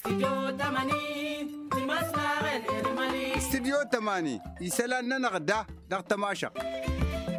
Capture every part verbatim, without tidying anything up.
Stidyo tămani isălan-nănăɣ da dăɣ-tămašăɣt.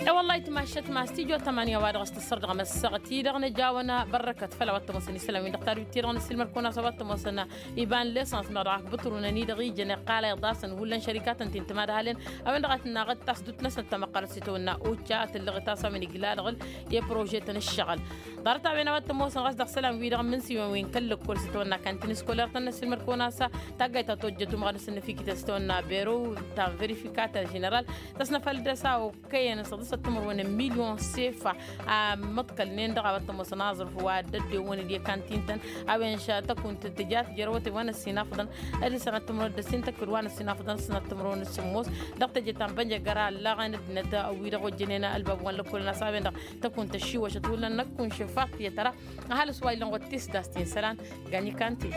E-wălla-hi tămašăt ma stidyo tămani a-wa dăɣ-s tǝssăr dăɣ-măssăɣăt-i-dăɣ nǝja a-wăn bărrăkăt făll-a-wa t-ămoosăn isălan-win-dăɣ tadwit-i-dăɣ n-asǝlmăd kăwăn-as a-wa t-ămoosăn iba n-lesăns meɣ dăɣ-ak bǝtru n-ănidăɣ ijăn iqqal a iḍasăn hullan šărikatăn ti n-timadhalăn a-wen-dăɣ a tǝnnaɣăt tasdut-năsnăt tamăqqărăt s-itawănna occa a tǝllăɣet a-s a-wen iglalăɣ i-prože-tăn ǝššăɣǝl. Ḍarăt-a-wen a-wa t-ămoosăn ɣas dăɣ-isălan-wi-dăɣ n-imǝnsiwen wi n-kăl-lăkkol s-itawănna kantin iskolăr-tăn n-asǝlmăd kăwăn-as taggayt ta tojjăt umɣan s-ǝnnǝfikităn s-itawănna beru ta n-verifikater ženeral tăsnăfăl dăr-s a okkăyăn s-ăḍǝsăt timǝrwen n-milyon sefa. A măḍkălnen dăɣ-a-wa t-ămoosăn aẓrǝf wa dd-ăddewăn d-i-kantin-tăn a-wen š-tăkunt tǝja tǝjrăwăt i-wa n-ăssinafăḍăn d-sănat timǝrwen d-ăssin tăkk d-wa n-ăssinafăḍăn d-sănat timǝrwen d-sǝmmos dăɣ-teje ta n-bănjăgăra ăllaɣen ăddinăt wi-dăɣ ojjănen ălbab wa n-lăkkolăn a-s a-wen-dăɣ tăkunt ăššiwăšăt hullan năkk kunšăf a t-iyyăt ăra. Ăhalǝs wa illăn ɣur-t tisdast i-isălan gani kanti.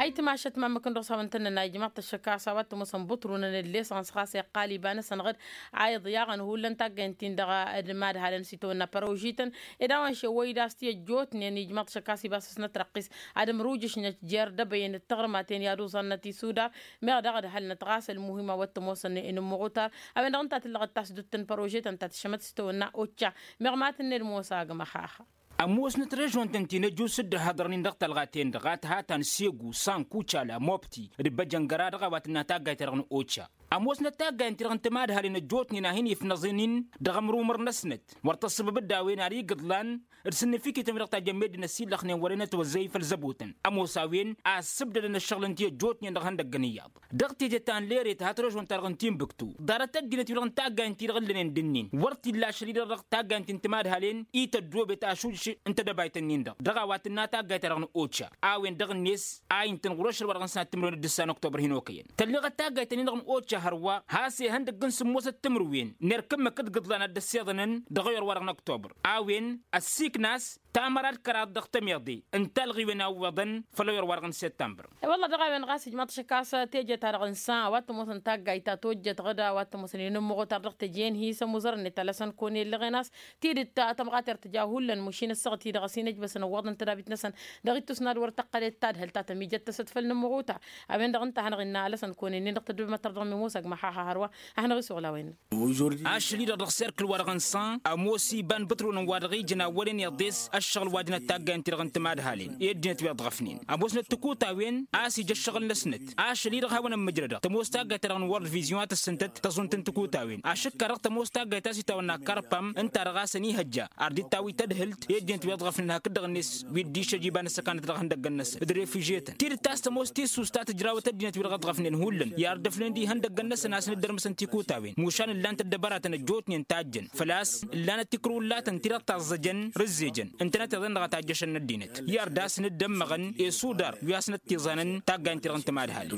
Ayǝtmašăt ma ǝmmǝk n-dăɣ-s hawăn-tăn-nănna ijmaḍ-t ăššăk a-s a-wa t-ămoosăn bǝṭrunăn d-lesăns ɣas iqqal iba-năsăn ɣǝd a iḍyaɣăn hullan taggaynt-in-dăɣ d-imadhalăn s-itawănna părožităn ed a-wen šewăy d-a-s ti ăjjootnen ijmaḍ-t ăššăk a-s iba s-ăsnăt răqqis ad-ǝmrujǝšnăt jer-dăbăyăn d-taɣrǝmaten i-ad-uẓannăt isudar. Meɣ daɣ ădhălnăt ɣas ălmuhim a-wa t-ămoosăn inǝmmăɣutar a-wen-dăɣ ǝnta a tǝllăɣăt tasdut n-părožetăn ta tǝššămăt s-itawănna occa. Meɣ ma tǝnned mosa agmăxaxa. Ămoosnăt režon-tăn-ti n-ăjus dd-ăhhăḍărnen dăɣ-taɣaten-dăɣ a t-hatan segu sanku cala mobti d-băjăngăra dăɣ-a-wa tǝnna taggayt-ta-dăɣ n-occa. Ămoosnăt taggayt-ti-dăɣ n-timadhalin ăjjootnen a hin-ifnăẓǝnin dăɣ-ămrumăr-năsnăt wăr tăssǝbǝb dd-a-wen ar igǝḍlan d-sǝnnǝfikităn wi-dăɣ tajjăn meddǝn ăsillăxnen wăren ătwăzzăy făll-zăbotăn. Ămoos a-wen a ăssǝbdădăn ăššăɣǝl n-ti ăjjootnen dăɣ-ihăndăggăn iyyăḍ dăɣ-teje ta n-lere tăhat režon-ta-dăɣ n-tinbǝktu. Ḍarăt ăddinăt-wi-dăɣ n-taggaynt-ti-dăɣ ǝllănen d-ǝnnin wăr t-illa ašăl-i-dăɣ dăɣ-taggaynt n-timadhalen i-tăddoobet ašuj n-tedăbayt-ǝnnin-dăɣ dăɣ-a-wa tǝnna taggayt-ta-dăɣ n-occa. A-wen-dăɣ-net a intăn ɣur-ašăl wa dăɣ-nǝsnat timǝrwen d-ǝssa n-oktobăr hin-okăyăn tălleɣăt taggayt-ǝnnin-dăɣ n-occa hărwa. Has-ihăndăgg n-sǝmmosăt timǝrwen n-erk ǝmmǝk d-gǝḍlan ad-dd-ăssiḍănăn dăɣ-ayor-wa-dăɣ n-oktobăr. A-wen ăssiikna a-s tamăra d-kăraḍ dăɣ-tămiḍe n-talɣiwen a ǝwweḍăn făll-ayor-wa-dăɣ n-săttămbăr. E-wălla dăɣ-a-wen ɣas ijmaḍ-t ašăk a-s teje-ta-dăɣ n-san a-wa t-ămoosăn taggayt ta tojjăt ɣǝd a-wa t-ămoosăn inǝmmăɣutar dăɣ-teje-en hi-sămuzăr-net alăsăn kăwăn-ellăɣen a-s tidǝt tamɣatert tǝja hullan mušin ăssaɣăt-i-dăɣ ăsinăjbăsăn ǝwwăḍăn tădabit-năsăn dăɣ-ittus n-ad-wăr tăqqălet tadhǝlt ta tămijăt-tăsăt făll-inǝmmăɣutar. A-wen-dăɣ ǝnta a hanăɣ-innă alăsăn kăwăn-enne dăɣ-tăddoobem ad-tărdăɣ mimosag măxaxa hărwa a hanăɣ-isuɣǝl a-wen. Ašăl-i-dăɣ dăɣ-serkǝl-wa-dăɣ n-san ămoos iba n-bǝtrunăn wa dăɣ-ijăn awălen iḍes ăššăɣǝl wa jănăt taggayăn-ti-dăɣ n-timadhalen i-ăddinăt wi ăḍɣăfnen ămoosnăt tǝkutawen a-s ija ăššăɣǝl-năsnăt. Ašăl-i-dăɣ hawăn-ămmǝjrădăɣ tămoos taggayt-ta-dăɣ n-wăr d-vizyon a tǝssǝntăt tăẓunt n-tǝkutawen ašǝkka-dăɣ tămoos taggayt a-s itawănna karpam ǝnta-dăɣ a-s ănihăjja ar dd-tawǝy tadhǝlt i-ăddinăt wi ăḍɣăfnen hakd-dăɣ-net wi dd-išăj iba n-ăssăkanăt dăɣ-ihăndăggăn-năsăn d-refižetăn tidǝt a-s tămoos tissust ta tǝjrawăt ăddinăt wi-dăɣ ăḍɣăfnen hullan i-ardăfnen d-ihăndăggăn-năsăn a-s nǝddărmăsăn tikutawen mušan ǝllan-t ăddăbăratăn ăjjootnen tajjăn făl-a-s ǝllanăt tikrǝwǝllatăn ti-dăɣ taẓẓăjăn rǝzzejăn ǝntănăt iḍen-dăɣ a tajjăšăn n-ăddinăt i-ar d-asnǝddămmăɣăn i-sudar wi asnăt-tiẓanăn taggaynt-ti-dăɣ n-timadhal.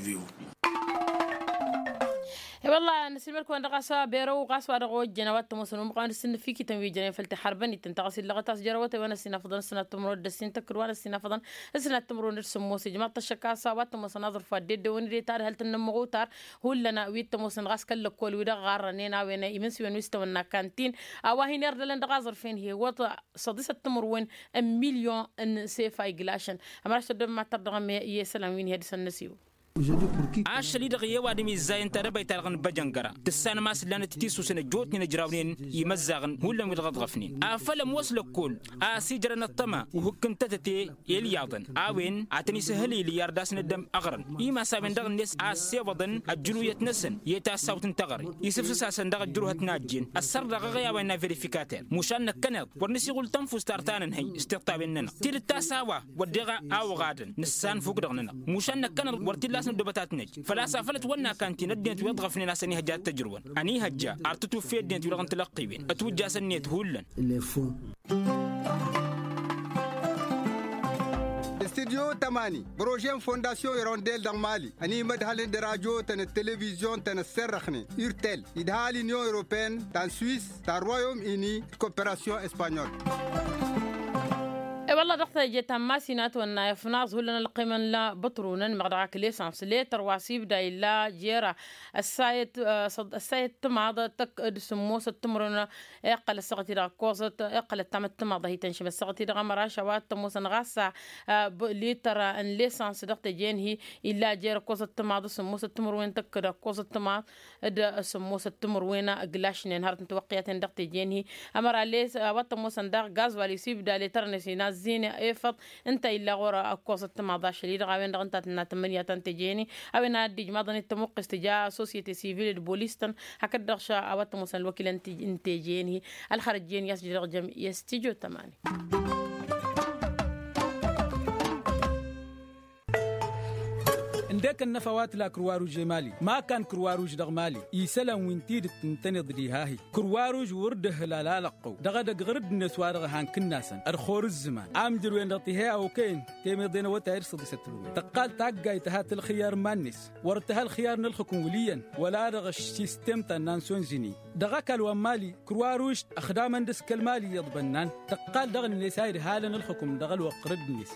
E-wălla-hi năsilmăd-kăwăn dăɣ-a-s berăw ɣas wa dăɣ-ojjăn a-wa t-ămoosăn umɣan d-sǝnnǝfikităn wi jănen făll-tiḥărbăn-ităn ta ɣas illăɣăt a-s jărăwăt a-wen ăsinafăḍăn s-sănat timǝrwen d-ăssin tăkk d-wa n-ăsinafăḍăn s-sănat timǝrwen d-sǝmmos ijmaḍ-t ăššăk a-s a-wa t-ămoosăn aẓrǝf wa dd-eddewăn d-e-tadhălt n-inǝmmăɣutar. Hullan wi t-ămoosăn ɣas kăl-lăkkol-wi-dăɣ ɣarrănen a-wen imǝnsǝwen wi s-tawănna kantin a-wa hin-irdălăn dăɣ-aẓrǝf-en hi-iwwăḍ s-ăḍisăt timǝrwen n-milyon n-sefa iglašăn. Ămraš tăddobem ad-tărdăɣăm i-isălan wi n-hi-ăddisăn n-asiw. Ašăl-i-dăɣ i-ăwadǝm izzayăn tadăbayt-ta-dăɣ n-băjăngăra tǝssanăm a-s ǝllanăt tisusen ăjjootnen ǝjrawnen imăzzaɣăn hullan wi-dăɣ ăḍɣăfnen afăl ămoos lăkkol a-s ijrăn ăṭṭăma uhǝk n-tătăte i-ǝlyaḍăn a-wen ad-tăn-isǝhhǝl ili i-ar d-asnăddăm ăɣrăn imas a-wen-dăɣ-net a ăssewăḍăn ăjjǝnuyăt-năsăn i-tassawt n-teɣăre isǝfsǝs-asăn daɣ ăjjǝruhăt n-ajjen ăssărrăɣ aɣăy a-wa innă verifikater mušan năkkăneḍ wăr nǝsiɣul tănfust ar ta nǝnhăy s-tiṭṭawen-nănăɣ tidǝt ta s-a-wa wădden a oɣadăn nǝssanfuk dăɣ-nănăɣ mušan năkkăneḍ wăr t-illa a-s nǝddobăt ad-t-năj făl-a-s afăl ătwănna kantin ăddinăt wi ăḍɣăfnen a-s ănihăjja ad-t-ăjrǝwăn ănihăjja ar tǝtwǝffe ăddinăt wi-dăɣ n-tilăqqiwen ătwǝjjasăn-net hullan. Studyo tămani bărožen fondasyon irondel dăɣ-mali ănimădhălăn d-rajotăn d-televizyon-tăn ăsserrăxnen urtel idha l-inyon europene ta n-swis ta n-royom ini d-koperasyon espanyol. Wălla dăɣ-teje ta n-masinat wănna ifnaẓ hullan ălqimăn la băṭrunăn meɣ dăɣ-ak lesans letăr wa s-ibda illa jer-ăssayăt ăssayăt timaḍ tăkk d-sǝmmosăt timǝrwen. Iqqăl ăssaɣăt-i-dăɣ ăkkoẓăt iqqăl ăttamăt timaḍ a hi-tănšǝm ăssaɣăt-i-dăɣ ămăra ašăwat tămoosăn ɣas lităr n-lesans dăɣ-teje-in-hi illa jer-ăkkoẓăt timaḍ d-sǝmmosăt timǝrwen tăkk d-ăkkoẓăt timaḍ d-sǝmmosăt timǝrwen. Glašnen hărăt n-tiwăqqiyaten dăɣ-teje-in-hi ămăra les a-wa t-ămoosăn daɣ gazwal isibda letărnet inazzin efăḍ ǝnta illa ɣur-ăkkoẓăt timaḍ ašăl-i-dăɣ a-wen-dăɣ ǝnta a tǝnna tǝmmǝnǝya ta n-teje-in-hi. A-wen ad-dd-ijmaḍăn d-tamuqqest tǝja sosiyete sivil d-bolis-tăn hakd-dăɣ a-wa t-ămoosăn ălwăkil n-teje-in-hi. Ălxărăt jen i-a-s jidăɣ jăm i-s tijo tămani. Ǝndek ănnăfa wa tǝla kǝrwaruž i-mali ma kan kǝrwaruž dăɣ-mali isălan wi n-tidǝt ǝntăneḍ diha-hi. Kǝrwaruž wăr dd-ăhǝlal alăqqăw dăɣ-edăgg ɣǝr-dd-net wa dăɣ-han kǝnnasăn ălxor ǝzzǝman amjăr-wen-dăɣ tihe a okăyăn temeḍe n-awătay d-săḍisăt tǝlwen tăqqal taggayt tǝha tălxiyar n-iman-net. Wăr tǝha ălxiyar n-ălxǝkǝm wǝl' iyyăn wăla dăɣ-ăšsistem ta n-nansonzini dăɣ-ăkall wa n-mali. Kǝrwaruž ăxdamăn dăɣ-s kăl-mali iyyăḍ bănnan tăqqal dăɣ-net a idhalăn ălxǝkǝm dăɣ-ălwăqq ɣǝr-dd-net.